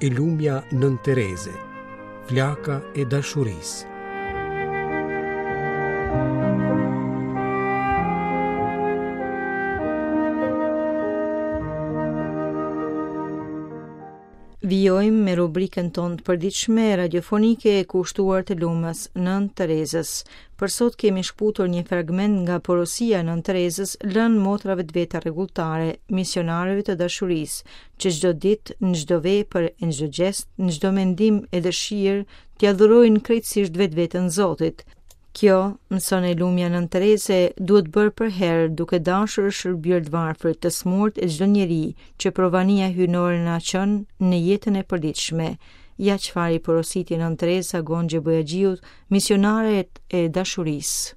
E lumja Nënë Tereze, flaka e dashurisë. Vijojmë me rubrikën tonë të përditshme radiofonike e kushtuar të lumës Nënë Terezës. Për sot kemi shkëputur një fragment nga porosia e Nënë Terezës lënë motrave të veta rregulltare, misionareve të dashurisë, që çdo ditë, në çdo vepër e në çdo gjest, në çdo mendim e dëshirë, t'ia dhurojnë krejtësisht vetveten Zotit. Kjo, mëson e lumja Nënë Tereze, duhet bërë përherë duke dashur e shërbyer të varfrit, të smurt e çdo njeri që provania hyjnore na çon në jetën e përditshme. Ja çfarë i porositi Nënë Tereza Gonxhe Bojaxhiut, misionaret e dashurisë.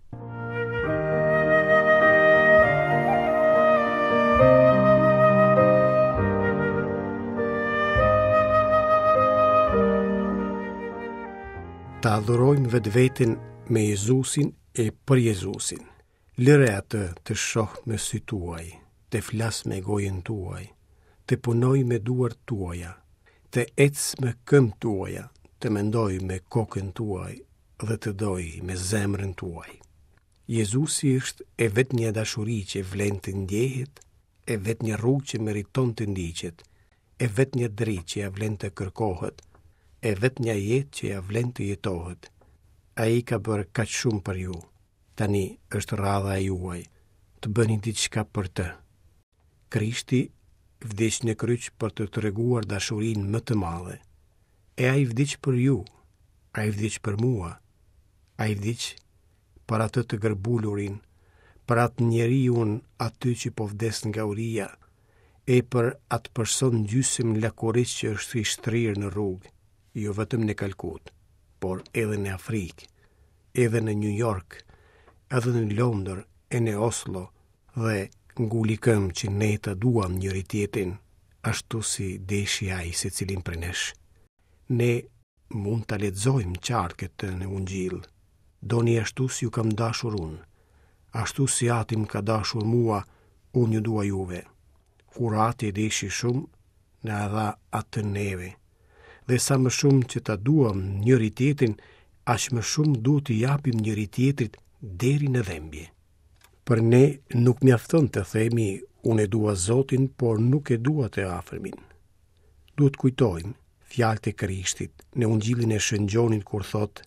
Ta adhurojmë vetveten me Jezusin e për Jezusin. Lëre atë të shohë me sytë tuaj, të flasë me gojën tuaj, të punojë me duart tuaja, të ecë me këmbët tuaja, të mendojë me kokën tuaj dhe të dojë me zemrën tuaj. Jezusi është e vetmja dashuri që vlen të ndjehet, e vetmja rrugë që meriton të ndiqet, e vetmja dritë që ia vlen të kërkohet, e vetmja jetë që ia vlen të jetohet. Ai ka bërë kaq shumë për ju. Tani është radha e juaj të bëni diçka për të. Krishti vdiq në kryq për të treguar dashurinë më të madhe. E ai vdiq për ju, ai vdiq për mua, ai vdiq për atë të gërbulurin, për atë njeriun aty që po vdes nga uria, e për atë person gjysmë lakuriq që është i shtrirë në rrugë, jo vetëm në Kalkutë, por edhe në Afrikë, edhe në New York, edhe në Londër e në Oslo dhe nguli këmbë që ne të duam njëri-tjetrin, ashtu si deshi ai secilin prej nesh. Ne mund ta lexojmë qartë këtë në Ungjill. Doni ashtu si ju kam dashur unë, ashtu si Ati më ka dashur mua, unë ju dua juve. Kur Ati e deshi shumë, na e dha atë neve. Dhe sa më shumë që ta duam njëri-tjetrin, aq më shumë duhet t'i japim njëri-tjetrit deri në dhembje. Për ne nuk mjafton të themi unë e dua Zotin, por nuk e dua të afërmin. Duhet të kujtojmë fjalët e Krishtit në Ungjillin e Shën Gjonit kur thotë: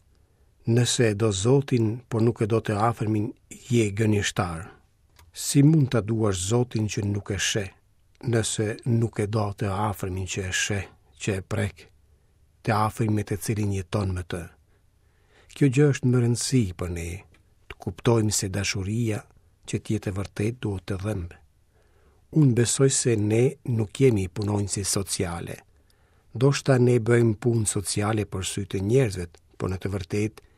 Nëse e do Zotin, por nuk e do të afërmin, je gënjeshtar. Si mund ta duash Zotin që nuk e sheh, nëse nuk e do të afërmin që e sheh, që e prek, të afërmin me të cilin jeton me të? Kjo gjë është me rëndësi për ne, të kuptojmë se dashuria që të jetë e vërtetë duhet të dhembë. Unë besoj se ne nuk jemi punonjëse sociale. Ndoshta ne bëjmë punë sociale për sytë e njerëzve, por në të vërtetë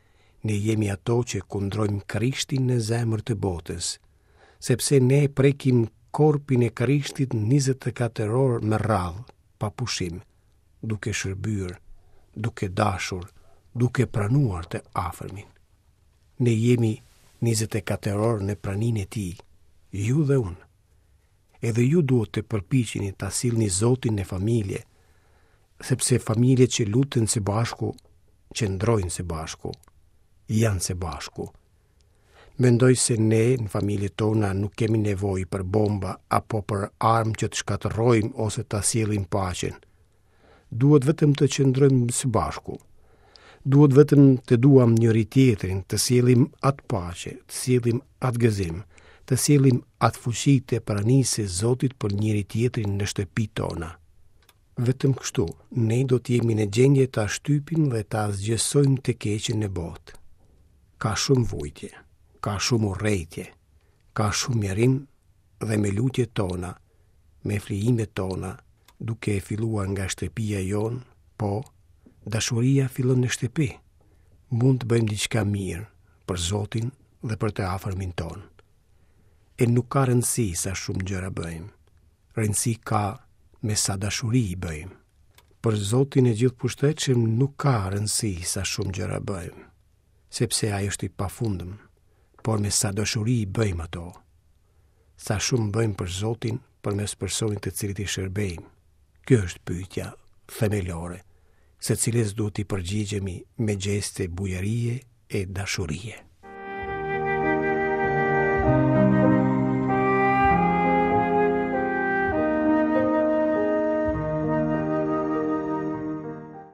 ne jemi ato që kundrojmë Krishtin në zemër të botës, sepse ne prekim korpin e Krishtit 24 orë me radhë, pa pushim, duke shërbyer, duke dashur, duke pranuar të afërmin. Ne jemi 24 orë në praninë e tij, ju dhe unë. Edhe ju duhet të përpiqeni ta sillni Zotin në familje, sepse familjet që luten së bashku, qëndrojnë së bashku, janë së bashku. Mendoj se ne në familjet tona nuk kemi nevojë për bomba apo për armë që të shkatërrojmë ose ta sjellim paqen. Duhet vetëm të qëndrojmë së bashku. Duhet vetëm të duam njëri-tjetrin, të sjellim atë paqe, të sjellim atë gëzim, të sjellim atë fuqi të pranisë së Zotit për njëri-tjetrin në shtëpitë tona. Vetëm kështu, ne do të jemi në gjendje ta shtypim dhe ta asgjësojmë të keqen në botë. Ka shumë vujtje, ka shumë urrejtje, ka shumë mjerim dhe me lutjet tona, me flijimet tona, duke filluar nga shtëpia jonë, po, dashuria fillon në shtëpi. Mund të bëjmë diçka mirë për Zotin dhe për të afërmin tonë. E nuk ka rëndësi sa shumë gjëra bëjmë. Rëndësi ka me sa dashuri i bëjmë. Për Zotin e Gjithëpushtetshëm nuk ka rëndësi sa shumë gjëra bëjmë, sepse ai është i pafundëm, por me sa dashuri i bëjmë ato. Sa shumë bëjmë për Zotin përmes personit të cilit i shërbejmë. Kjo është pyetja themelore, së cilës duhet t'i përgjigjemi me gjeste bujarie e dashurie.